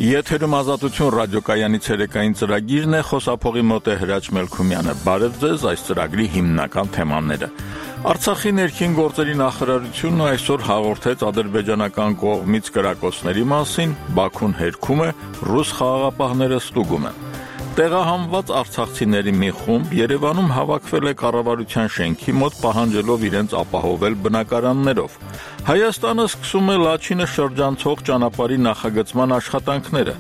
Եթերում ազատություն ռադիոկայանի ցերեկային ծրագիրն է, խոսափողի մոտ է Հրաչ Մելքումյանը։ Բարև ձեզ, այս ծրագրի հիմնական թեմաները։ Արցախի ներքին գործերի նախարարությունը այսօր հաղորդեց ադրբեջանական կողմից կրակոցների մասին, Բաքուն հերքում է, ռուս խաղաղապահները ստուգում են։ Տեղահանված արցախցիների մի խումբ Երևանում հավաքվել է կառավարության շենքի մոտ պահանջելով իրենց ապահովել բնակարաններով։ Հայաստանը սկսում է Լաչինը շրջանցող ճանապարհի նախագծման աշխատանքները։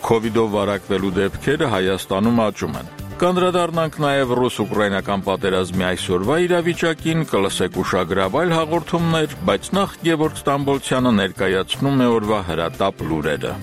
Քովիդով վարակվելու դեպքերը Հայաստանում աճում են։ Կանդրադառնանք նաև ռուս-ուկրաինական պատերազմի այսօրվա իրավիճակին, կլսեք ուշագրավ այլ հաղորդումներ, բայց նախ Գևորգ Ստամբոլցյանը ներկայացնում է օրվա հրատապ լուրերը։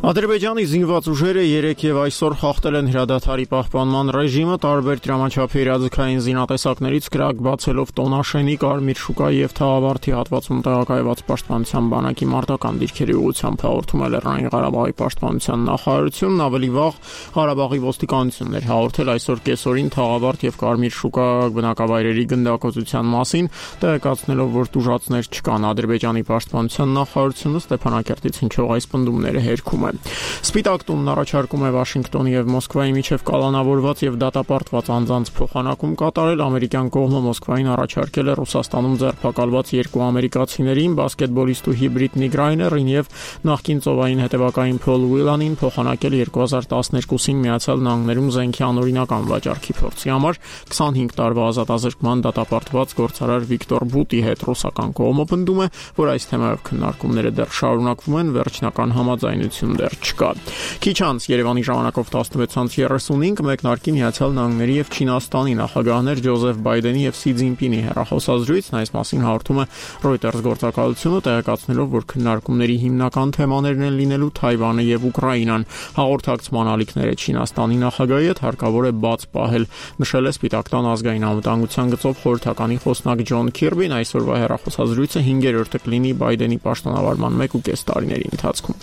Ադրբեջանի զինված ուժերը երեկ եւ այսօր խախտել են հրադադարի պահպանման ռեժիմը, տարբեր դրամաչափի իրազեկային զինատեսակներից կրակ բացելով Տոնաշենի, Կարմիր շուկայի եւ Թաղավարտի հատվածում տեղակայված պաշտպանության բանակի մարտական դիրքերի ուղղությամբ հաղորդում է Լեռնային Ղարաբաղի պաշտպանության նախարարությունն, ավելի վաղ Ղարաբաղի ոստիկանությունն էր հաղորդել այսօր կեսօրին Թաղավարտ եւ Կարմիր շուկա բնակավայրերի գնդակոծության մասին, տեղեկացնելով, որ տուժածներ չկան։ Ադրբեջանի պաշտպանության նախարարությունը Ստեփանակերտից հնչող այս պնդումները հերքում է։ Սպիտակ տունն առաջարկում է Վաշինգտոնի եւ Մոսկվայի միջև կալանավորված եւ դատապարտված անձանց փոխանակում կատարել։ Ամերիկյան կողմը Մոսկվային առաջարկել է Ռուսաստանում ձերբակալված երկու ամերիկացիներին, բասկետբոլիստ ու հիբրիդ Նիկ Ռայներին եւ նախկին ծովային հետևակային Փոլ Ուիլանին փոխանակել 2012-ին Միացյալ Նահանգներում զենքի անօրինական վաճառքի փորձի համար 25 տարվա ազատազրկման դատապարտված գործարար Վիկտոր Բուտի հետ։ Ռուսական կողմը պնդում է, որ այս թեմայով քննարկումները դեռ շարունակվում են, վերջնական համաձայնություն դեռ չկա։ Քիչ անց Երևանի ժամանակով 16:35 մեկնարկի Միացյալ Նահանգների եւ Չինաստանի նախագահներ Ջոզեֆ Բայդենի եւ Սի Ցզինպինի հեռախոսազրույցն, այս մասին հաղորդում է Reuters գործակալությունը, տեղեկացնելով, որ քննարկումների հիմնական թեմաներն են լինելու Թայվանը եւ Ուկրաինան։ Հաղորդակցման ալիքները Չինաստանի նախագահի հետ հարկավոր է բաց պահել, նշել է Սպիտակ տան ազգային անվտանգության գծով խորհրդականի խոսնակ Ջոն Քիրբին։ Այսօրվա հեռախոսազրույցը 5-րդը կլինի Բայդենի պաշտոնավարման 1.5 տարիների ընթացքում։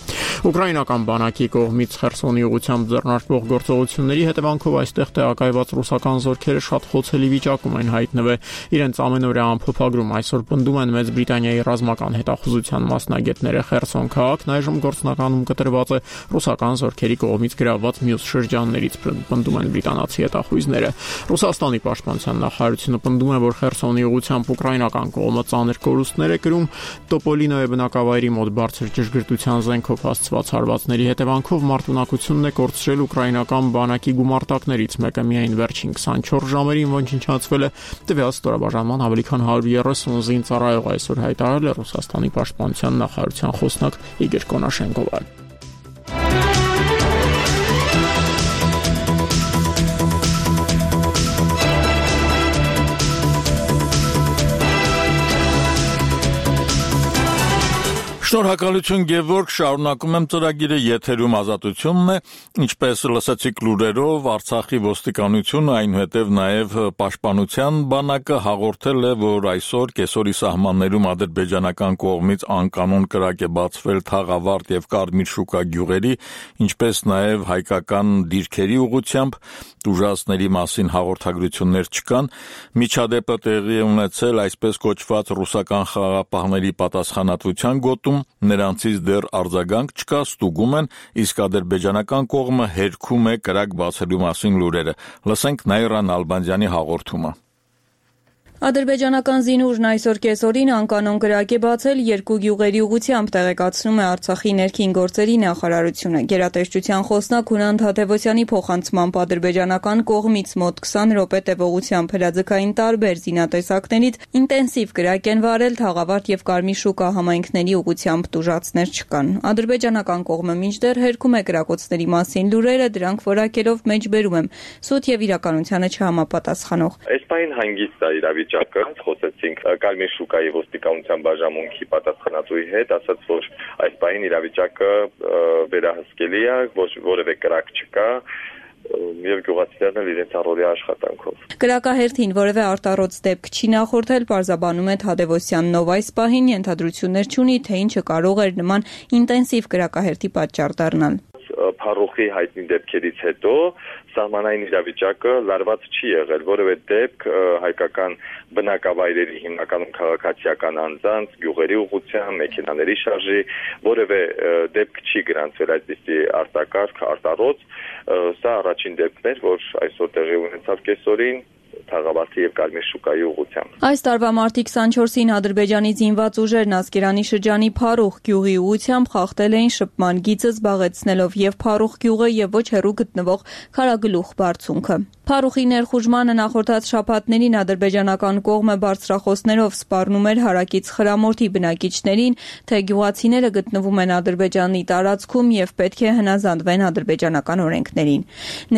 Ուկրաինական բանակի կողմից Խերսոնի ուղղությամբ ձեռնարկվող գործողությունների հետևանքով այստեղ տեղակայված ռուսական զորքերը շատ խոցելի վիճակում են հայտնվել։ Իրենց ամենօրյա ամփոփագրում այսօր պնդում են Մեծ Բրիտանիայի ռազմական հետախուզության մասնագետները։ Խերսոն քաղաքն այժմ գործնականում կտրված է ռուսական զորքերի կողմից գրավված մյուս շրջաններից, պնդում են բրիտանացի հետախույզները։ Ռուսաստանի պաշտպանության նախարարությունը պնդում է, որ Խերսոնի ուղղությամբ ուկրաինական կողմը ծանր կորուստներ է կրում։ Տոպոլինոյի բնակավայրի մոտ բարձր ճշգրտության զենքով հասցված հարվածների հետևանքով մարտունակությունն է կորցրել ուկրաինական բանակի գումարտակներից մեկը միայն վերջին 24 ժամերին ոչնչացվել է։ Տվյալ ստորաբաժանման ավելի քան 130 զինծառայող այսօր հայտարարել է Ռուսաստանի պաշտպանության նախարարության խոսնակ Իգոր Կոնաշենկովը։ Շնորհակալություն Գևորգ, շարունակում եմ ծրագիրը, եթերում ազատությունն է, ինչպես լսեցիք լուրերով, Արցախի ոստիկանությունը, այնուհետև նաև պաշտպանության բանակը հաղորդել է, որ այսօր կեսօրի սահմաններում ադրբեջանական կողմից անկանոն կրակ է բացվել Թաղավարտ եւ Կարմիր շուկա գյուղերի, ինչպես նաև հայկական դիրքերի ուղղությամբ, տուժածների մասին հաղորդագրություններ չկան։ Միջադեպը տեղի է ունեցել այսպես կոչված ռուսական խաղաղապահների պատասխանատվության գոտում, նրանցից դեռ արձագանք չկա, ստուգում են, իսկ ադրբեջանական կողմը հերքում է կրակ բացելու մասին լուրերը։ Լսենք Նաիրա Նալբանդյանի հաղորդումը։ Ադրբեջանական զինուժն այսօր կեսօրին անկանոն կրակ է բացել երկու գյուղերի ուղղությամբ, տեղեկացնում է Արցախի ներքին գործերի նախարարությունը։ Գերատեսչության խոսնակ Հունան Թադևոսյանի փոխանցմամբ ադրբեջանական կողմից մոտ 20 րոպե տևողությամբ հրաձգային տարբեր զինատեսակներից ինտենսիվ կրակ են վարել Թաղավարտ եւ Կարմիր շուկա համայնքների ուղղությամբ, տուժածներ չկան։ Ադրբեջանական կողմը մինչդեռ հերքում է կրակոցների մասին լուրերը, դրանք որակելով մեջբերում եմ, սուտ եւ իրականությանը չհամապատասխանող։ Այսպայն հանգիստ է իրավիճակը, խոսեցինք Կարմիր շուկայի ոստիկանության բաժանմունքի պատասխանատուի հետ, ասաց, որ այս պահին իրավիճակը վերահսկելի է, որևէ կրակ չկա, եւ գյուղացիներն էլ իրենց առօրյա աշխատանքով։ Կրակահերթին որևէ արտառոց դեպք չի նախորդել, պարզաբանում է Թադևոսյանն, ով այս պահին ենթադրություններ չունի, թե ինչը կարող էր նման ինտենսիվ կրակահերթի պատճառ դառնալ։ փառուխի հայտնի դեպքերից հետո սահմանային իրավիճակը լարված չի եղել, որևէ դեպք հայկական բնակավայրերի հիմնականում քաղաքացիական անձանց, գյուղերի ուղղությամբ, մեքենաների շարժի որևէ դեպք չի գրանցվել այդպիսի արտակարգ, արտառոց, սա առաջին դեպքն էր, որ այսօր տեղի ունեցավ կեսօրին Թաղավարտի եւ Կարմիր շուկայի ուղղությամբ։ Այս տարվա մարտի 24-ին Ադրբեջանի զինված ուժերն Ասկերանի շրջանի Փառուխ գյուղի ուղղությամբ խախտել էին շփման գիծը, զբաղեցնելով եւ Փառուխ գյուղը եւ ոչ հեռու գտնվող Քարագլուխ բարձունքը։ Փառուխի ներխուժմանը նախորդած շաբաթներին ադրբեջանական կողմը բարձրախոսներով սպառնում էր հարակից Խրամորթի բնակիչներին, թե գյուղացիները գտնվում են Ադրբեջանի տարածքում եւ պետք է հնազանդվեն ադրբեջանական օրենքներին։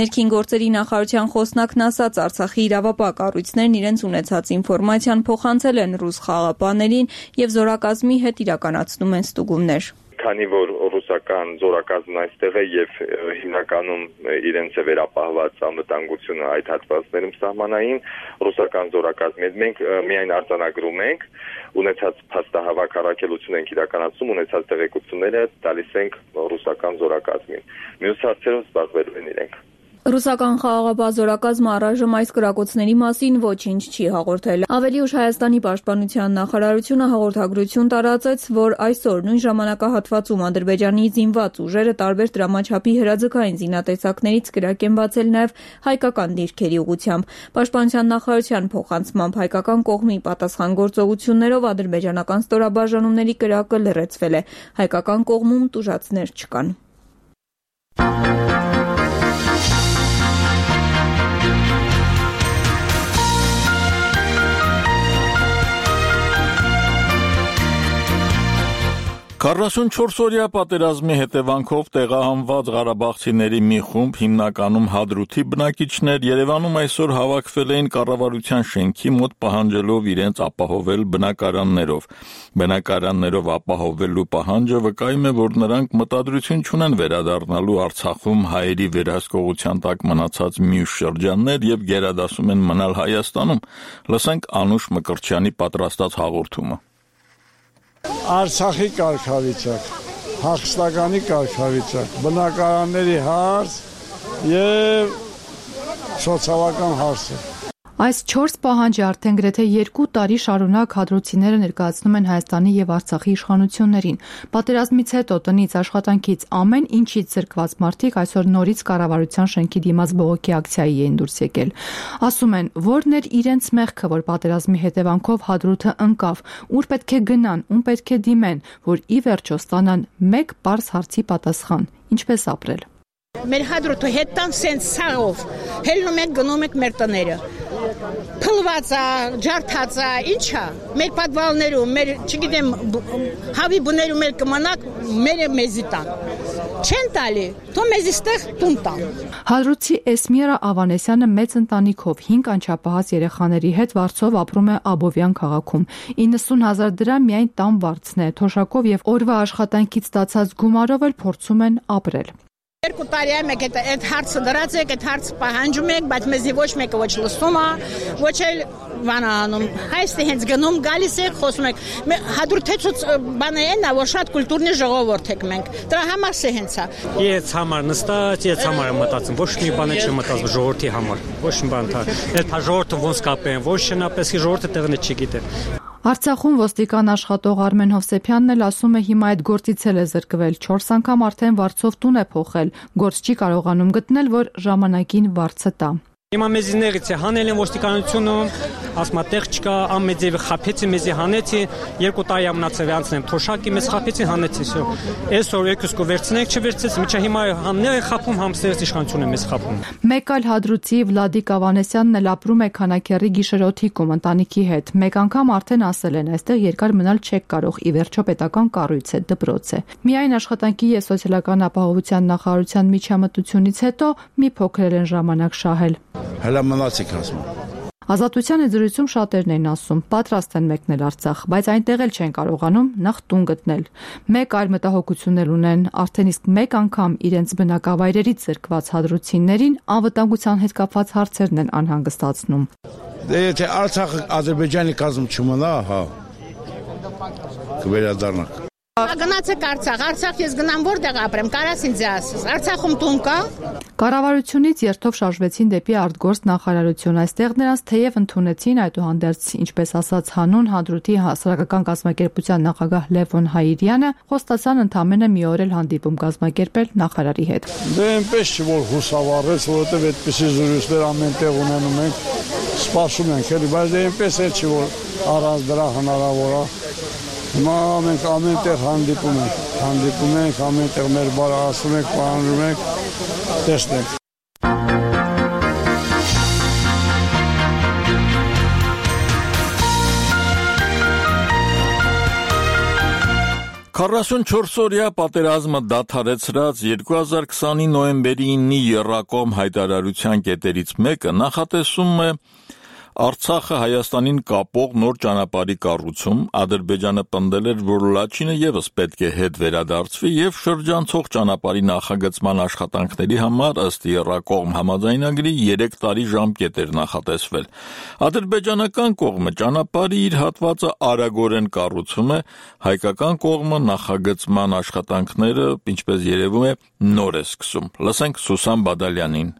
Ներքին գործերի նախարարության խոսնակն ասաց, Արցախի իրավապահ կառույցներն իրենց ունեցած ինֆորմացիան փոխանցել են ռուս խաղապաներին եւ զորակազմի հետ իրականացնում են ստուգումներ։ Քանի որ ռուսական զորակազմն այստեղ է եւ հիմնականում իրենց է վերապահված անվտանգությունը այդ հատվածներում սահմանային ռուսական զորակազմի հետ մենք միայն արձանագրում ենք, ունեցած փաստահավաք առաքելություն ենք իրականացում, ունեցած տեղեկությունները տալիս ենք ռուսական զորակազմին։ Մյուս հարցերով զբաղվելու են իրենք։ Ռուսական խաղաղապահ զորակազմը առայժմ այս կրակոցների մասին ոչինչ չի հաղորդել։ Ավելի ուշ Հայաստանի պաշտպանության նախարարությունը հաղորդագրություն տարածեց, որ այսօր նույն ժամանակահատվածում Ադրբեջանի զինված ուժերը տարբեր դրամաչափի հրաձգային զինատեսակներից կրակ են բացել նաև հայկական դիրքերի ուղղությամբ։ Պաշտպանության նախարարության փոխանցմամբ հայկական կողմի պատասխանատվություններով ադրբեջանական ստորաբաժանումների կրակը լրացվել է։ Հայկական կողմում տուժածներ չկան։ Քառասունչորսօրյա պատերազմի հետևանքով տեղահանված ղարաբաղցիների մի խումբ, հիմնականում Հադրութի բնակիչներ, Երևանում այսօր հավաքվել էին կառավարության շենքի մոտ պահանջելով իրենց ապահովել բնակարաններով։ Բնակարաններով ապահովելու պահանջը վկայում է, որ նրանք մտադրություն չունեն վերադառնալու Արցախում հայերի վերահսկողության տակ մնացած մյուս շրջաններ եւ գերադասում են մնալ Հայաստանում։ Լսենք Անուշ Մկրտչյանի պատրաստած հաղորդումը։ Արցախի կարգավիճակ, Հաղստականի կարգավիճակ, բնակարանների հարց եւ սոցիալական հարցը։ Այս 4 պահանջը արդեն գրեթե 2 տարի շարունակ հադրութիները ներկայացնում են Հայաստանի եւ Արցախի իշխանություններին։ Պատերազմից հետո տնից աշխատանքից ամեն ինչից զրկված մարդիկ այսօր նորից կառավարության շենքի դիմաց բողոքի ակցիայի էին դուրս եկել։ Ասում են, որն էր իրենց մեղքը, որ պատերազմի հետևանքով Հադրութը ընկավ, ուր պետք է գնան, ում պետք է դիմեն, որ ի վերջո ստանան մեկ պարզ հարցի պատասխան՝ ինչպես ապրել։ Մեր Հադրութը հետան սենց սաղով, հելնում եք գնում եք մեր տները։ Փլված է, ջարդած է, ինչա։ Մեր պատվալներում, մեր, չգիտեմ, հավի բներում էլ կմնակ, մերը մեզի տան։ Չեն տալի, թո մեզի ստեղ տուն տան։ Հադրութի Էսմիրա Ավանեսյանը մեծ ընտանիքով 5 անչափահաս երեխաների հետ վարձով ապրում է Աբովյան քաղաքում։ 90,000 դրամ միայն տան վարձն է, թոշակով եւ օրվա աշխատանքից ստացած գումարով էլ փորձում են ապրել։ 2 տարի է մեկ այդ հարցը դրած եք, այդ հարցը պահանջում եք, բայց մեզի ոչ մեկը ոչ լսում է, ոչ էլ վանանում։ Հայստի հենց գնում գալիս եք, խոսում եք։ Հադրութեցուց բանը են, որ շատ կուլտուրնի ժողովուրդ եք մենք։ Դրա համար է հենց է։ Ես համար նստած, ես համար մտածում, ոչ մի բան չեմ մտածում ժողովրդի համար։ Ոչ մի բան թա։ Այդ ժողովուրդը ոնց կապեն, ոչ շնապես ժողովուրդը տեղն չգիտե։ Արցախում ոստիկան աշխատող Արմեն Հովսեփյանն էլ ասում է հիմա այդ գործից էլ է զրկվել 4 անգամ արդեն վարձով տուն է փոխել, գործ չի կարողանում գտնել, որ ժամանակին վարձը տա։ Հիմա մեզիներից է հանել են ոստիկանությունում, ասма տեղ չկա, ամեծևի խափեցի մեզի հանեցի, 2 տարի ամնացավ անցնեմ, թոշակի մեզ խափեցի հանեցի, всё։ Այսօր եկուսկո վերցնենք, չվերցեց, միջա հիմա համներ է խափում, համստերից իշխանությունը մեզ խափում։ Մեկ այլ հադրութի Վլադիկ Ավանեսյանն էլ ապրում է Քանաքեռի գիշերօթիկում ընտանիքի հետ։ Մեկ անգամ արդեն ասել են, այստեղ երկար մնալ չեք կարող, ի վերջո պետական կառույց է, դպրոց է։ Միայն աշխատանքի եւ սոցիալական ապահովության նախարարության միջամտությունից հետո մի փոքր են ժամանակ շահել։ Հələ մնացիք ասում։ Ազատության զրույցում շատերն են ասում, պատրաստ են մեկնել Արցախ, բայց այնտեղ էլ չեն կարողանում նախ տուն գտնել։ Մեկ այլ մտահոգություն էլ ունեն, արդեն իսկ մեկ անգամ իրենց բնակավայրերից զրկված հադրութիներին անվտանգության հետ կապված հարցերն են անհանգստացնում։ Դե եթե Արցախը Ադրբեջանի կազմում չմնա, հա, կվերադառնանք։ Գնացեք Արցախ ես գնամ որտեղ ապրեմ, կարաս ինձ ասես, Արցախում տուն կա։ Կառավարությունից երթով շարժվեցին դեպի արտգործ նախարարություն, այստեղ նրանց թեև ընդունեցին, այդուհանդերձ, ինչպես ասաց հանուն Հադրութի հասարակական կազմակերպության նախագահ Լևոն Հայիրյանը, խոստացան ընդամենը մի օր էլ հանդիպում կազմակերպել նախարարի հետ։ Դե այնպես չի որ հուսավառեց, որովհետև այդպիսի զրույցներ ամեն տեղ ունենում ենք, սպասում ենք, էլի, բայց դե այնպես էլ չի որ առանց դրա հնարավոր է։ Հիմա մենք ամեն տեղ հանդիպում ենք, ամեն տեղ մեր բարը ասում ենք, պահանջում ենք, տեսնենք։ Քառասունչորսօրյա պատերազմը դադարեցրած 2020-ի նոյեմբերի 9-ի եռակողմ հայտարարության կետերից մեկը նախատեսում է Արցախը Հայաստանին կապող նոր ճանապարհի կառուցում, Ադրբեջանը պնդել էր, որ Լաչինը ևս պետք է հետ վերադարձվի եւ շրջանցող ճանապարհի նախագծման աշխատանքների համար ըստ եռակողմ համաձայնագրի 3 տարի ժամկետ էր նախատեսվել։ Ադրբեջանական կողմը ճանապարհի իր հատվածը արագորեն կառուցում է, հայկական կողմը նախագծման աշխատանքները, ինչպես երևում է, նոր է սկսում։ Լսենք Սուսան Բադալյանին։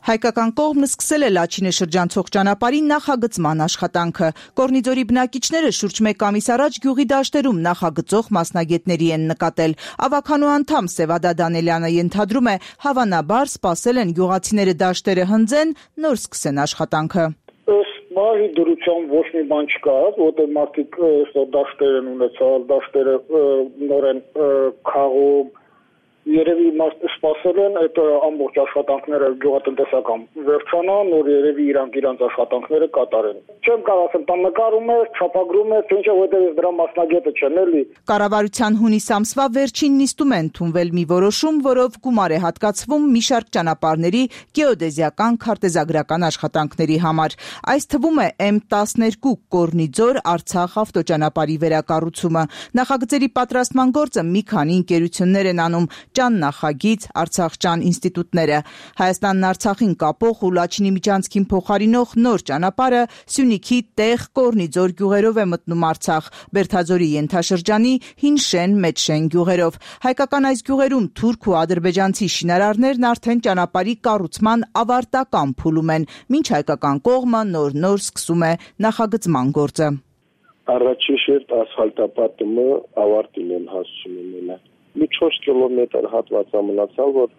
Հայկական կողմն սկսել է Լաչինը շրջանցող ճանապարհի նախագծման աշխատանքը։ Կորնիձորի բնակիչները շուրջ 1 ամիս առաջ գյուղի դաշտերում նախագծող մասնագետների են նկատել։ Ավականու անդամ Սևադա Դանելյանը ենթադրում է, հավանաբար սպասել են գյուղացիները դաշտերը հնձեն, նոր սկսեն աշխատանքը։ Բաղի դրության ոչ մի բան չկա, որտեղ մարդիկ դաշտեր են ունեցալ, դաշտերը նոր են քաղում, երևի սպասել են այդ ամբողջ աշխատանքները գյուղատնտեսական վերջանան, նոր երևի իրանք աշխատանքները կատարեն։ Չեմ կարող ասեմ, տան նկարում է, չափագրում է, թե ինչը որտեղ դրա մասնագետը չեն էլի։ Կառավարության հունիս ամսվա վերջին նիստում են ընդունվել մի որոշում, որով գումար է հատկացվում մի շարք ճանապարհների գեոդեզիական քարտեզագրական աշխատանքների համար։ Այս թվում է M12 Կորնիձոր Արցախ ավտոճանապարհի վերակառուցումը։ Նախագծերի պատրաստման գործը մի քանի ընկերություններ են անում։ Ճան նախագիծ, Արցախճան ինստիտուտները։ Հայաստանն Արցախին կապող ու Լաչինի միջանցքին փոխարինող նոր ճանապարհը Սյունիքի տեղ Կորնիձոր գյուղերով է մտնում Արցախ, Բերդաձորի ենթաշրջանի Հինշեն, Մեջշեն գյուղերով։ Հայկական այս գյուղերում թուրք ու ադրբեջանցի շինարարներն արդեն ճանապարհի կառուցման ավարտական փուլում են, մինչ հայկական կողմը նոր սկսում է նախագծման գործը։ Առաջին շերտ ասֆալտապատումը ավարտին են հասցնում են։ Մի 4 կիլոմետր հատված մնացավ, որ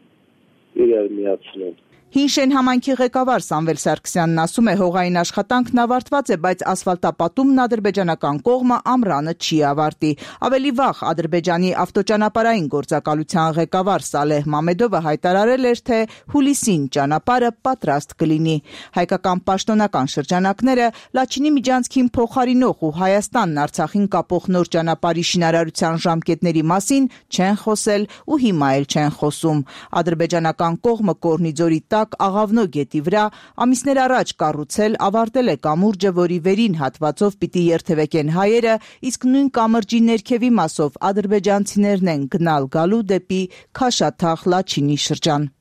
իրար միացնեն։ Հինշեն համայնքի ղեկավար Սամվել Սարգսյանն ասում է, հողային աշխատանքն ավարտված է, բայց ասֆալտապատումն ադրբեջանական կողմը ամռանը չի ավարտի։ Ավելի վաղ Ադրբեջանի ավտոճանապարհային գործակալության ղեկավար Սալեհ Մամեդովը հայտարարել էր, թե հուլիսին ճանապարհը պատրաստ կլինի։ Հայկական պաշտոնական շրջանակները Լաչինի միջանցքին փոխարինող ու Հայաստանն Արցախին կապող նոր ճանապարհի շինարարության ժամկետների մասին չեն խոսել ու հիմա էլ չեն խոսում։ Ադրբեջանական կողմը Կորնիձորի Աղավնո գետի վրա ամիսներ առաջ կառուցել ավարտել է կամուրջը, որի վերին հատվածով պիտի երթևեկեն հայերը, իսկ նույն կամրջի ներքևի մասով ադրբեջանցիներն են գնալ գալու դեպի Քաշաթաղ Լաչինի շրջան։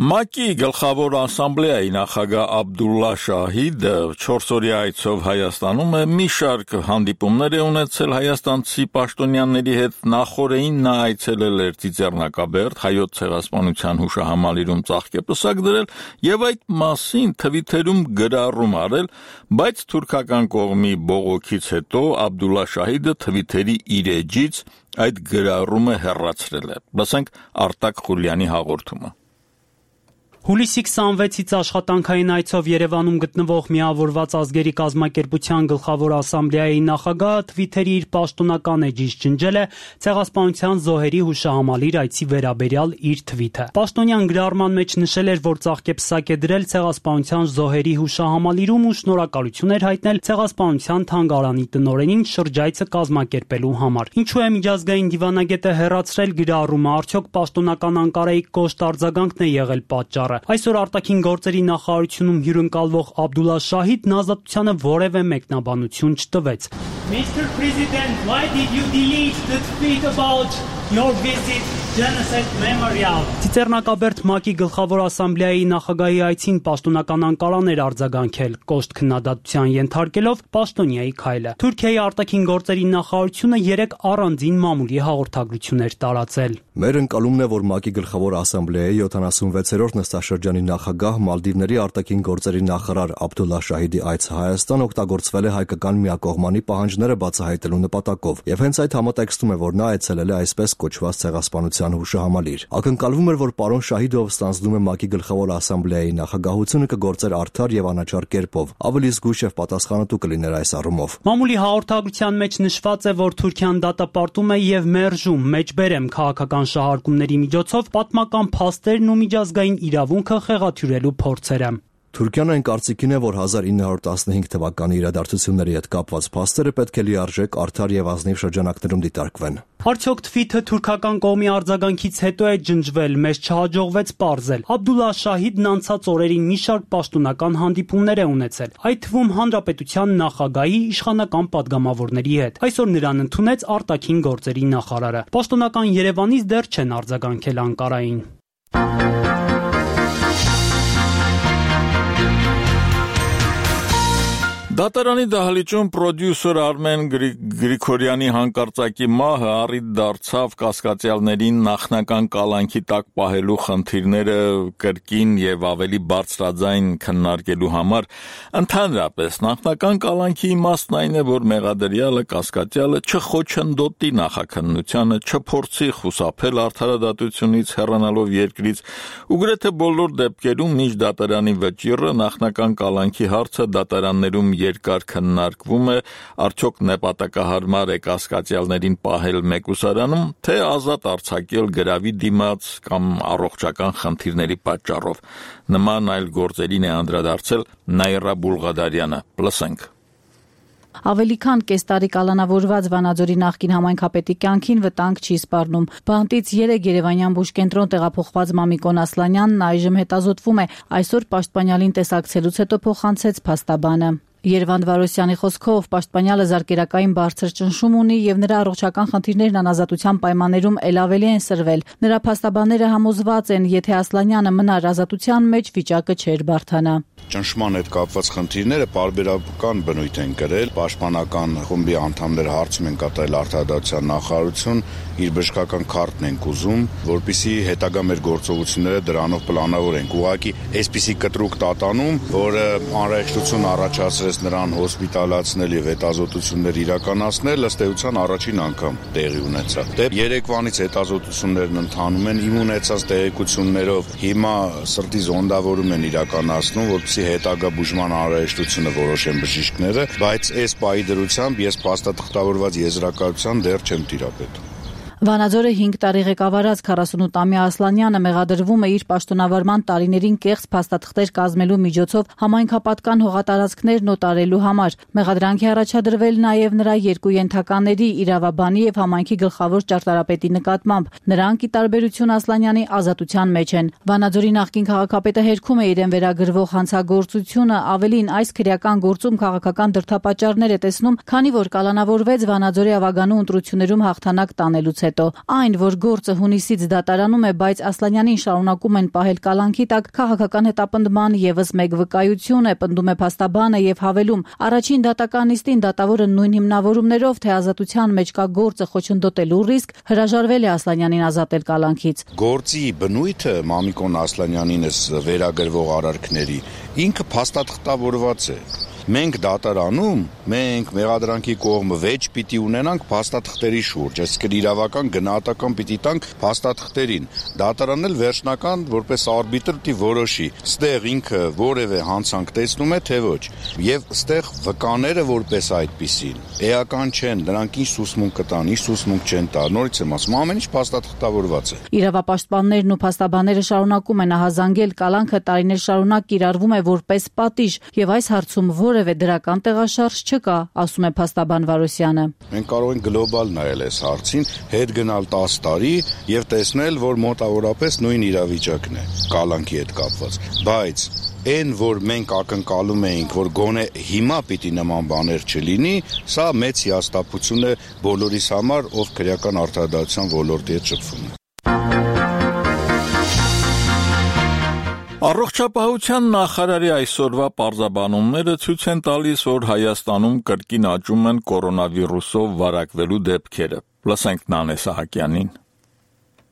ՄԱԿ-ի գլխավոր ասամբլեայի նախագահ Աբդուլլա Շահիդը 4-օրյա այցով Հայաստանում է, մի շարք հանդիպումներ է ունեցել հայաստանցի պաշտոնյաների հետ, նախորդին նա այցելել էր Ծիծեռնակաբերդ, Հայոց ցեղասպանության հուշահամալիրում ծաղկեպսակ դրել եւ այդ մասին թվիթերում գրառում արել, բայց թուրքական կողմի բողոքից հետո Աբդուլլա Շահիդը թվիթերի իր էջից այդ գրառումը հեռացրել է։ Լսենք Արտակ Խուլյանի հաղորդումը։ Հուլիսի 26-ից աշխատանքային այցով Երևանում գտնվող Միավորված ազգերի կազմակերպության գլխավոր ասամբլեայի նախագահը Թվիթերի իր պաշտոնական էջից ջնջել է ցեղասպանության զոհերի հուշահամալիր այցի վերաբերյալ իր թվիթը։ Պաշտոնյան գրառման մեջ նշել էր, որ ծաղկեպսակ է դրել ցեղասպանության զոհերի հուշահամալիրում ու շնորհակալություն էր հայտնել ցեղասպանության թանգարանի տնօրենին շրջայցը կազմակերպելու համար։ Ինչու է միջազգային դիվանագետը հեռացրել գրառումը, արդյոք պաշտոնական Անկարայի կոշտ արձագանքն է եղել պատճառը։ Այսօր արտաքին գործերի նախարարությունում հյուրընկալվող Աբդուլլա Շահիդն ազատությանը որևէ մեկնաբանություն չտվեց։ Mr. President, why did you delete the tweet about your visit Genocide Memorial. Ծիծեռնակաբերդ ՄԱԿ-ի գլխավոր ասամբլեայի նախագահի այցին պաշտոնական Անկարան էր արձագանքել, կոշտ քննադատության ենթարկելով պաշտոնյայի քայլը։ Թուրքիայի արտաքին գործերի նախարարությունը 3 առանձին մամուլի հաղորդագրություն էր տարածել։ Մեր ընկալումն է, որ ՄԱԿ-ի գլխավոր ասամբլեայի 76-րդ նստաշրջանի նախագահ Մալդիվների արտաքին գործերի նախարար Աբդուլլա Շահիդի այցը Հայաստան օգտագործվել է հայկական միակողմանի պահանջները բացահայտելու նպատակով, եւ հենց այդ համատեքստում է, որ նա այցելել է այսպես կոչված ցեղասպանության հուշահամալիր։ Ակնկալվում էր, որ պարոն Շահիդով ստանձնում է ՄԱԿ-ի գլխավոր ասամբլեայի նախագահությունը կգործեր արդար եւ անաչառ կերպով, ավելի զգույշ եւ պատասխանատու կլիներ այս առումով։ Մամուլի հաղորդագրության մեջ նշված է, որ Թուրքիան դատապարտում է եւ մերժում մեջբերեմ քաղաքական շահարկումների միջոցով պատմական փաստերն ու միջազգային իրավունքը խեղաթյուրելու փորձերը։ Թուրքիան այն կարծիքին է, որ 1915 թվականի իրադարձությունների հետ կապված փաստերը պետք է լիարժեք արդար եւ ազնիվ շրջանակներում դիտարկվեն։ Արդյոք թվիթը թուրքական կողմի արձագանքից հետո է ջնջվել, մեզ չհաջողվեց պարզել։ Աբդուլլա Շահիդն անցած օրերին մի շարք պաշտոնական հանդիպումներ է ունեցել, այդ թվում հանրապետության նախագահի իշխանական падգամավորների հետ։ Այսօր նրան ընդունեց արտաքին գործերի նախարարը։ Պաշտոնական Երևանից դեռ չեն արձագանքել Անկարային։ Դատարանի դահլիճում պրոդյուսեր Արմեն Գրիգորյանի հանկարծակի մահը առիթ դարձավ կասկածյալներին նախնական կալանքի տակ պահելու խնդիրները կրկին եւ ավելի բարձրաձայն քննարկելու համար։ Ընդհանրապես նախնական կալանքի իմաստն այն է, որ մեղադրյալը կասկածյալը չխոչընդոտի նախաքննությանը, չփորձի խուսափել արդարադատությունից հեռանալով երկրից, ու գրեթե բոլոր դեպքերում մինչ դատարանի վճիռը նախնական կալանքի հարցը դատարաններում երկար քննարկվում է, արդյոք նպատակահարմար է կասկածյալներին պահել մեկուսարանում, թե ազատ արձակել գրավի դիմաց կամ առողջական խնդիրների պատճառով։ Նման այլ գործերին է անդրադարձել Նաիրա Բուլղադարյանը։ Լսենք։ Ավելի քան կես տարի կալանավորված Վանաձորի նախկին համայնքապետի կյանքին վտանգ չի սպառնում։ Բանտից 3 Երևանյան բուժկենտրոն տեղափոխված Մամիկոն Ասլանյանն այժմ հետազոտվում է, այսօր պաշտպանյալին տեսակցելուց հետո փոխանցեց փաստաբանը։ Երվանդ Վարոսյանի խոսքով պաշտպանյալը զարկերակային բարձր ճնշում ունի եւ նրա առողջական խնդիրներն անազատության պայմաններում ել ավելի են սրվել։ Նրա փաստաբանները համոզված են, եթե Ասլանյանը մնար ազատության մեջ, վիճակը չէր բարդանա։ Ճնշման հետ կապված խնդիրները պարբերական բնույթ են կրել։ Պաշտպանական խմբի անդամները հարցում են կատարել արդարադատության նախարարություն, իր բժշկական քարտն են ուզում, որպեսզի հետագա մեր գործողությունները դրանով պլանավորենք։ Ուղղակի այսպիսի կտրուկ տատանում, որը անհրաժեշտություն առաջացրեց նրան հոսպիտալացնել եւ հետազոտություններ իրականացնել, ըստ էության առաջին անգամ տեղի ունեցավ։ Դե երեկվանից հետազոտություններն ընթանում են, իմ ունեցած տեղեկություններով հիմա սրտի զոնդավորում են իրականացնում, որպեսզի հետագա բուժման անհրաժեշտությունը որոշեն բժիշկները, բայց այս պահի դրությամբ ես փաստաթղթավորված եզրակացության դեռ չեմ տիրապետում։ Վանաձորը 5 տարի ղեկավարած 48-ամյա Ասլանյանը մեղադրվում է իր պաշտոնավարման տարիներին կեղծ փաստաթղթեր կազմելու միջոցով համայնքապատկան հողատարածքներն օտարելու համար։ Մեղադրանքի առաջադրվել նաև նրա 2 ենթակաների՝ իրավաբանի եւ համայնքի գլխավոր ճարտարապետի նկատմամբ։ Նրանք, ի տարբերություն Ասլանյանի, ազատության մեջ են։ Վանաձորի նախկին քաղաքապետը հերքում է իրեն վերագրվող հանցագործությունը, ավելին այս քրեական գործում քաղաքական դրդապատճառներ է տեսնում, քանի որ կալանավորվեց Վանաձորի ավագանու ընտրություններում հաղթանակ տանելուց հետո։ Այն, որ գործը հունիսից դատարանում է, բայց Ասլանյանին շարունակում են պահել կալանքի տակ, քաղաքական հետապնդման եւս մեկ վկայություն է, պնդում է փաստաբանը եւ հավելում. առաջին դատական նիստին դատավորը նույն հիմնավորումներով, թե ազատության մեջ կա գործը խոչընդոտելու ռիսկ, հրաժարվել է Ասլանյանին ազատել կալանքից։ Գործի բնույթը Մամիկոն Ասլանյանին վերագրվող արարքների ինքը փաստաթղթավորված է։ Մենք դատարանում, մենք մեղադրանքի կողմը վեճ պիտի ունենանք փաստաթղթերի շուրջ, այսինքն իրավական գնահատական պիտի տանք փաստաթղթերին։ Դատարանն էլ վերջնական որպես արբիտր պիտի որոշի, ստեղ ինքը որևէ հանցանք տեսնում է, թե ոչ։ Եվ ստեղ վկաները որպես այդպիսին էական չեն, նրանք ինչ սուսմունք կտան, ինչ սուսմունք չեն տա։ Նորից եմ ասում, ամեն ինչ փաստաթղթավորված է։ Իրավապաշտպաններն ու փաստաբանները շարունակում են ահազանգել կալանքը տարիներ շարունակ կիրառվում է որպես պատիժ, եւ այս հարցում որևէ դրական տեղաշարժ չկա, ասում է փաստաբան Վարոսյանը։ Մենք կարող ենք գլոբալ նայել այս հարցին, հետ գնալ 10 տարի եւ տեսնել, որ մոտավորապես նույն իրավիճակն է կալանքի հետ կապված։ Բայց այն, որ մենք ակնկալում էինք, որ գոնե հիմա պիտի նման բաներ չլինի, սա մեծ հիասթափություն է բոլորիս համար, ով քրեական արդարադատության ոլորտի հետ շփվում է։ Առողջապահության նախարարի այսօրվա պարզաբանումները ցույց են տալիս, որ Հայաստանում կրկին աճում են կորոնավիրուսով վարակվելու դեպքերը։ Լսենք Նանե Սահակյանին։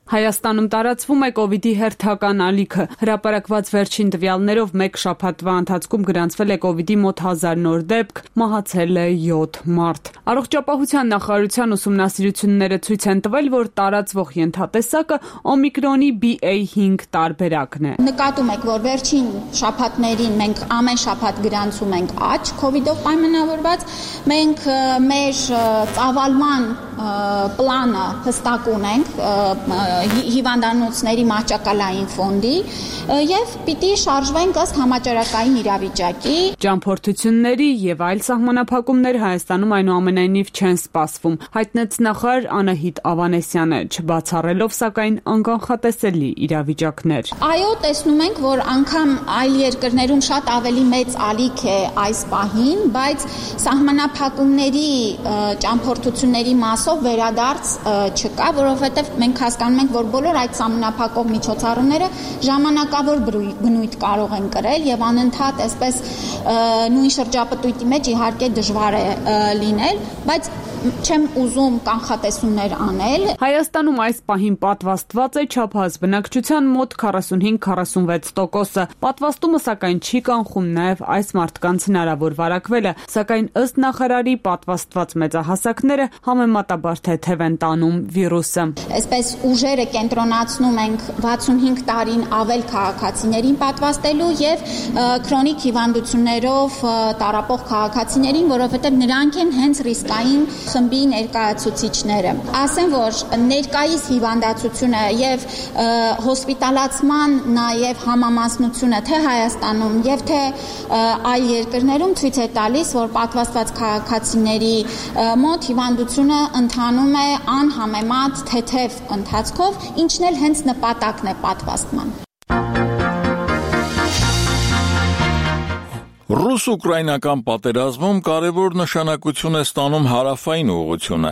Հայաստանում տարածվում է կովիդի հերթական ալիքը։ Հրապարակված վերջին տվյալներով մեկ շաբաթվա ընթացքում գրանցվել է կովիդի մոտ 1000 նոր դեպք, մահացել է 7 մարդ։ Առողջապահության նախարարության ուսումնասիրությունները ցույց են տվել, որ տարածվող ենթատեսակը օմիկրոնի BA.5 տարբերակն է։ Նկատում եք, որ վերջին շաբաթներին մենք ամեն շաբաթ գրանցում ենք աճ կովիդով պայմանավորված, մենք մեր ծավալման պլանը հստակ ունենք հիվանդանոցների մահճակալային ֆոնդի եւ պիտի շարժվենք ըստ համաճարակային իրավիճակի։ Ճամփորդությունների եւ այլ սահմանափակումներ Հայաստանում այնուամենայնիվ չեն սպասվում, հայտնեց նախարար Անահիտ Ավանեսյանը, չբացառելով սակայն անկանխատեսելի իրավիճակներ։ Այո, տեսնում ենք, որ անգամ այլ երկրներում շատ ավելի մեծ ալիք է այս պահին, բայց սահմանափակումների ճամփորդությունների մասով վերադարձ չկա, որովհետեւ մենք հասկանում ենք, որ բոլոր այդ սահմանափակող միջոցառումները ժամանակավոր բնույթ կարող են կրել եւ անընդհատ այսպես նույն շրջապտույտի մեջ իհարկե դժվար է լինել, բայց չեմ ուզում կանխատեսումներ անել։ Հայաստանում այս պահին պատվաստված է չափահաս բնակչության մոտ 45-46%-ը։ Պատվաստումը սակայն չի կանխում նաև այս մարդկանց հնարավոր վարակվելը, սակայն ըստ նախարարի պատվաստված մեծահասակները համեմատաբար թեթև են տանում վիրուսը։ Այսպես ուժերը կենտրոնացնում ենք 65 տարին ավել քաղաքացիներին պատվաստելու եւ քրոնիկ հիվանդություններով տառապող քաղաքացիներին, որովհետեւ նրանք են հենց ռիսկային խմբի ներկայացուցիչները։ Ասեմ, որ ներկայիս հիվանդացությունը եւ հոսպիտալացման նաեւ համամասնությունը թե Հայաստանում եւ թե այլ երկրներում ցույց է տալիս, որ պատվաստված քաղաքացիների մոտ հիվանդությունը ընթանում է անհամեմատ թեթև ընթացքով, ինչն էլ հենց նպատակն է պատվաստման։ Ռուս-ուկրաինական պատերազմում կարևոր նշանակություն է ստանում հարավային ուղղությունը։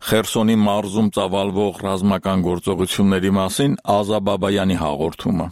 Խերսոնի մարզում ծավալվող ռազմական գործողությունների մասին Ազա Բաբայանի հաղորդումը։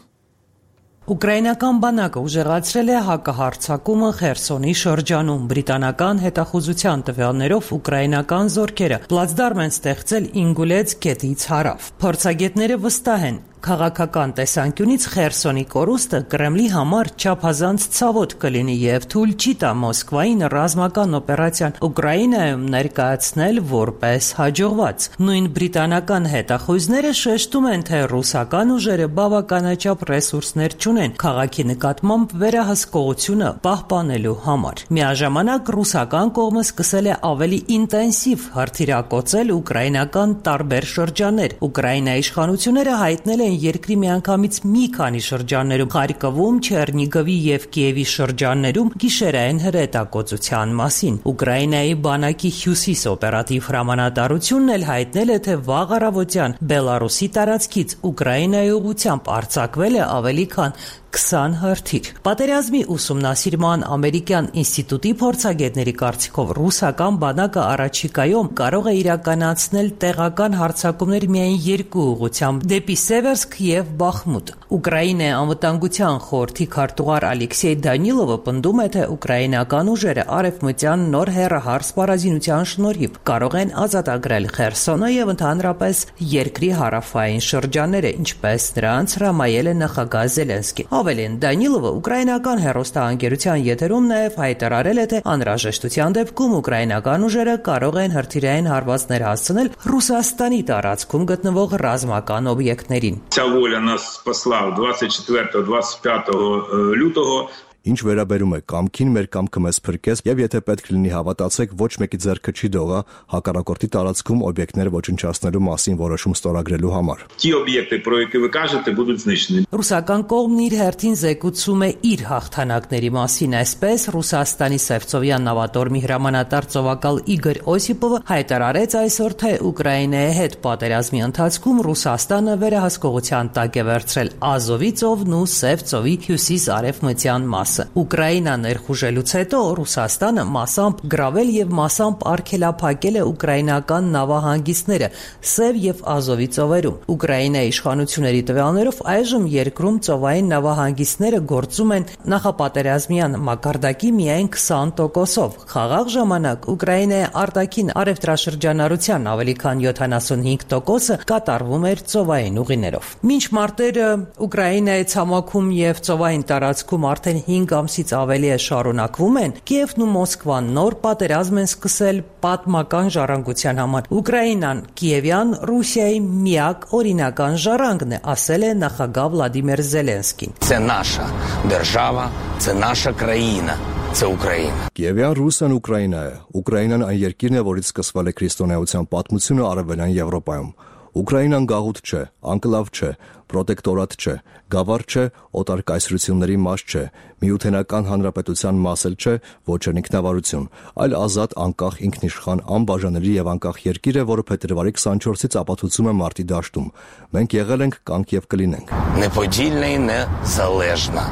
Ուկրաինական բանակը ուժեղացրել է հակահարձակումը Խերսոնի շրջանում։ Բրիտանական հետախուզության տվյալներով ուկրաինական զորքերը պլացդարմ են ստեղծել Ինգուլեց գետից հարավ։ Փորձագետները վստահ են, քաղաքական տեսանկյունից Խերսոնի կորուստը Կրեմլի համար չափազանց ցավոտ կլինի եւ թույլ չի տա Մոսկվային ռազմական օպերացիան Ուկրաինայում ներկայացնել որպես հաջողված։ Նույն բրիտանական հետախույզները շեշտում են, թե ռուսական ուժերը բավականաչափ ռեսուրսներ չունեն քաղաքի նկատմամբ վերահսկողությունը պահպանելու համար։ Միաժամանակ ռուսական կողմը սկսել է ավելի ինտենսիվ հրթիռակոծել ուկրաինական տարբեր շրջաններ։ Ուկրաինայի իշխանությունները հայտնել են երկրի միանգամից մի քանի շրջաններում Խարկովում, Չեռնիգովի եւ Կիևի շրջաններում գիշերային հրետակոծության մասին։ Ուկրաինայի բանակի հյուսիս օպերատիվ հրամանատարությունն էլ հայտնել է, թե վաղ առավոտյան Բելարուսի տարածքից Ուկրաինայի ուղղությամբ արձակվել է ավելի քան 20 հրթիռ։ Պատերազմի ուսումնասիրման ամերիկյան ինստիտուտի փորձագետների կարծիքով ռուսական բանակը առաջիկայում կարող է իրականացնել տեղական հարձակումներ միայն երկու ուղղությամբ՝ դեպի Սևերսկ եւ Բախմուտ։ Ուկրաինայի անվտանգության խորհրդի քարտուղար Ալեքսեյ Դանիլովը պնդում է, թե ուկրաինական ուժերը արևմտյան նոր հեռահար սպառազինության շնորհիվ կարող են ազատագրել Խերսոնը եւ ընդհանրապես երկրի հարավային շրջանները, ինչպես նրանց հրամայել է նախագահ Զելենսկին։ Ավելին, Դանիլովը ուկրաինական հեռուստաընկերության եթերում նաև հայտարարել է, թե անհրաժեշտության դեպքում ուկրաինական ուժերը կարող են հրթիռային հարվածներ հասցնել Ռուսաստանի տարածքում գտնվող ռազմական օբյեկտներին։ Ця воля нас спасла 24-25 лютого. Ինչ վերաբերում է կամքին, մեր կամքը մեզ փրկեց, եւ եթե պետք լինի հավատացեք, ոչ մեկի ձեռքը չի դողա հակառակորդի տարածքում օբյեկտներ ոչնչացնելու մասին որոշում ստորագրելու համար։ Ті об'єкти, про які ви кажете, будуть знищені. Ռուսական կողմն իր հերթին զեկուցում է իր հաղթանակների մասին, այսպես Ռուսաստանի Սևծովյան նավատորմի հրամանատար ծովակալ Իգոր Օսիպովը հայտարարեց այսօր, թե Ուկրաինայի հետ պատերազմի ընթացքում Ռուսաստանը վերահսկողության տակ է վերցրել Ազովի ծովն ու Սև ծովի հյուսիս-արևմտյան մասը։ մասը։ Ուկրաինան ներխուժելուց հետո Ռուսաստանը մասամբ գրավել եւ մասամբ արգելափակել է ուկրաինական նավահանգիստները Սև եւ Ազովի ծովերում։ Ուկրաինայի իշխանությունների տվյալներով այժմ երկրում ծովային նավահանգիստները գործում են նախապատերազմյան մակարդակի միայն 20%-ով։ Խաղաղ ժամանակ Ուկրաինայի արտաքին առևտրաշրջանառության ավելի քան 75%-ը կատարվում էր ծովային ուղիներով։ Մինչ մարտերը Ուկրաինայի ցամաքում եւ ծովային տարածքում արդեն 5 ամսից ավելի է շարունակվում են, Կիևն ու Մոսկվան նոր պատերազմ են սկսել պատմական ժառանգության համար։ Ուկրաինան Կիևյան Ռուսիայի միակ օրինական ժառանգն է, ասել է նախագահ Վլադիմիր Զելենսկին։ Це наша держава, це наша країна, це Україна։ Կիևյան Ռուսիան Ուկրաինա է։ Ուկրաինան այն երկիրն է, որից սկսվել է քրիստոնեության պատմությունը Արևելյան Եվրոպայում։ Ուկրաինան գաղութ չէ, անկլավ չէ, պրոտեկտորատ չէ, գավառ չէ, օտար կայսրությունների մաս չէ, միութենական հանրապետության մաս էլ չէ, ոչ էլ ինքնավարություն, այլ ազատ, անկախ, ինքնիշխան, անբաժանելի եւ անկախ երկիր է, որը փետրվարի 24-ից ապացուցում է մարտի դաշտում։ Մենք եղել ենք, կանք եւ կլինենք։ Неподільна і незалежна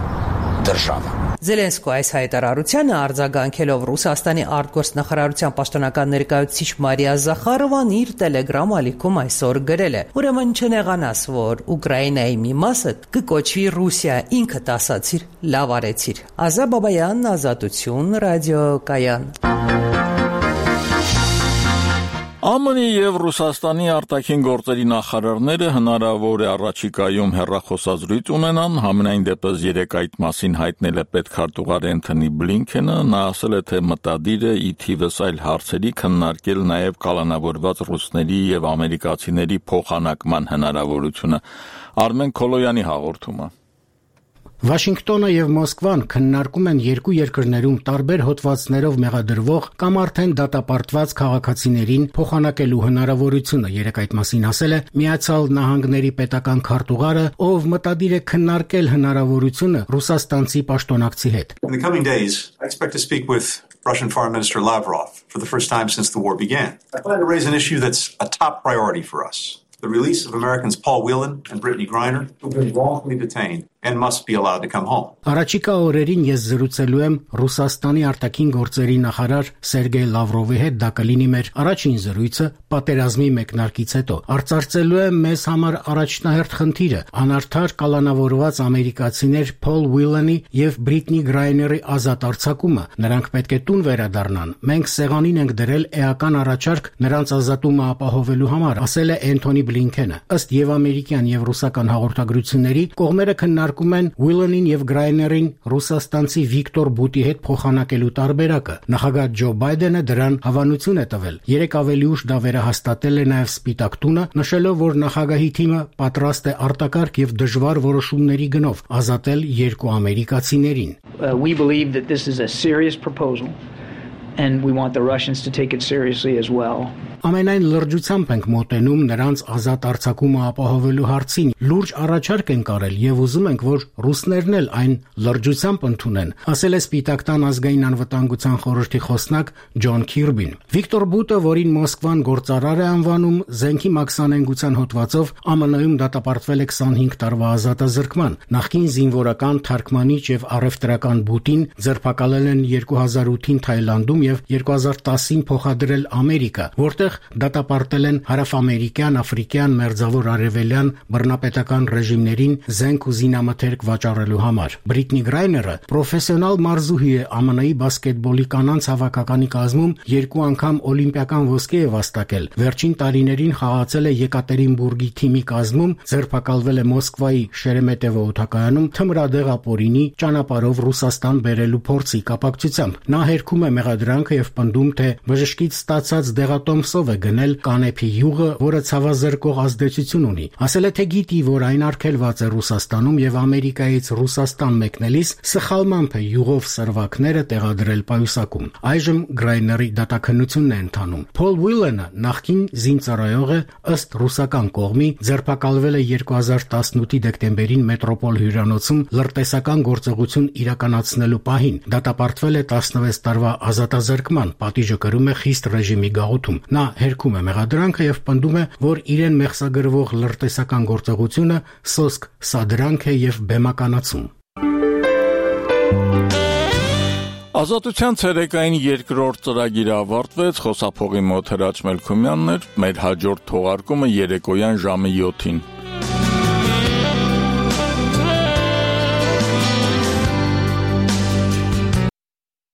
держава։ Զելենսկու այս հայտարարությանը արձագանքելով Ռուսաստանի արտգործնախարարության պաշտոնական ներկայացուցիչ Մարիա Զախարովան իր Telegram ալիքում այսօր գրել է. Ուրեմն չնեղանաս, որ Ուկրաինայի մի մասը կկոչվի Ռուսիա, ինքդ ասացիր, լավ արեցիր։ Ազա Բաբայան, Ազատություն, ռադիոկայան։ ԱՄՆ-ի եւ Ռուսաստանի արտաքին գործերի նախարարները հնարավոր է առաջիկայում հեռախոսազրույց ունենան, համենայն դեպս երեկ այդ մասին հայտնել է պետքարտուղար Էնթոնի Բլինքենը, նա ասել է, թե մտադիր է ի թիվս այլ հարցերի քննարկել նաեւ կալանավորված ռուսների եւ ամերիկացիների փոխանակման հնարավորությունը։ Արմեն Քոլոյանի հաղորդումը։ Վաշինգտոնը եւ Մոսկվան քննարկում են երկու երկրներում տարբեր հոդվածներով մեղադրվող կամ արդեն դատապարտված քաղաքացիներին փոխանակելու հնարավորությունը։ Երեկ այդ մասին ասել է Միացյալ Նահանգների պետական քարտուղարը, ով մտադիր է քննարկել հնարավորությունը ռուսաստանցի պաշտոնակցի հետ։ In the coming days, I expect to speak with Russian Foreign Minister Lavrov for the first time since the war began. I plan to raise an issue that's a top priority for us. The release of Americans Paul Whelan and Brittany Griner, who've been wrongfully detained and must be allowed to come home. Առաջիկա օրերին ես զրուցելու եմ Ռուսաստանի արտաքին գործերի նախարար Սերգեյ Լավրովի հետ, դա կլինի մեր առաջին զրույցը պատերազմի մեկնարկից հետո։ Արծարծելու եմ մեզ համար առաջնահերթ խնդիրը՝ անարդար կալանավորված ամերիկացիներ Փոլ Ուիլանի եւ Բրիտնի Գրայների ազատ արձակումը։ Նրանք պետք է տուն վերադառնան։ Մենք սեղանին ենք դրել էական առաջարկ նրանց ազատումը ապահովելու համար, ասել է Էնթոնի Բլինքենը։ Ըստ եւ ամերիկյան եւ ռուսական հաղորդագրությունների կողմերը քննարկում են Ուիլանին եւ Գրայներին ռուսաստանցի Վիկտոր Բուտի հետ փոխանակելու տարբերակը։ Նախագահ Ջո Բայդենը դրան հավանություն է տվել։ Երեք ավելի ուշ դա վերահաստատել է նաեւ Սպիտակ տունը, նշելով, որ նախագահի թիմը պատրաստ է արտակարգ եւ դժվար որոշումների գնով ազատել երկու ամերիկացիներին։ We believe that this is a serious proposal and we want the Russians to take it seriously as well. Ամենայն լրջությամբ ենք մոտենում նրանց ազատ արձակումը ապահովելու հարցին։ Լուրջ առաջարկ ենք արել եւ ուզում ենք, որ ռուսներն էլ այն լրջությամբ ընդունեն, ասել է Սպիտակ տան ազգային անվտանգության խորհրդի խոսնակ Ջոն Քիրբին։ Վիկտոր Բուտը, որին Մոսկվան գործարար է անվանում, զենքի մաքսանենգության հոդվածով ԱՄՆ-ում դատապարտվել է 25 տարվա ազատազրկման։ Նախկին զինվորական թարգմանիչ եւ առևտրական Բուտին ձերբակալել են 2008-ին Թայլանդում եւ 2010-ին փոխադրել Ամերիկա, որտեղ դատապարտել են հարավամերիկյան, աֆրիկյան, մերձավոր արևելյան բռնապետական ռեժիմներին զենք ու զինամթերք վաճառելու համար։ Բրիտնի Գրայները պրոֆեսիոնալ մարզուհի է, ԱՄՆ-ի բասկետբոլի կանանց հավաքականի կազմում 2 անգամ օլիմպիական ոսկե է վաստակել։ Վերջին տարիներին խաղացել է Եկատերինբուրգի թիմի կազմում, ձերբակալվել է Մոսկվայի Շերեմետևո օդակայանում թմրադեղ ապօրինի ճանապարհով Ռուսաստան բերելու փորձի կապակցությամբ։ Նա հերքում է մեղադրանքը եւ պնդում, թե բժշկից ստացած դեղատոմսով է գնել կանեփի յուղը, որը ցավազրկող ազդեցություն ունի։ Ասել է, թե գիտի, որ այն արգելված է Ռուսաստանում եւ Ամերիկայից Ռուսաստան մեկնելիս սխալմամբ է յուղով սրվակները տեղադրել պայուսակում։ Այժմ Գրայների դատաքննությունն է ընթանում։ Փոլ Ուիլանը նախկին զինծառայող է, ըստ ռուսական կողմի ձերբակալվել է 2018-ի դեկտեմբերին մետրոպոլ հյուրանոցում լրտեսական գործողություն իրականացնելու պահին։ Դատապարտվել է 16 տարվա ազատազրկման, պատիժը կրում է խիստ ռեժիմի գաղութում։ Նա հերքում է մեղադրանքը եւ պնդում է, որ իրեն մեղսագրվող լրտեսական գործողությունը սոսկ սադրանք է եւ բեմականացում։ Ազատության ցերեկային երկրորդ ծրագիրը ավարտվեց, խոսափողի մոտ Հրաչ Մելքումյանն էր, մեր հաջորդ թողարկումը երեկոյան ժամը 7-ին։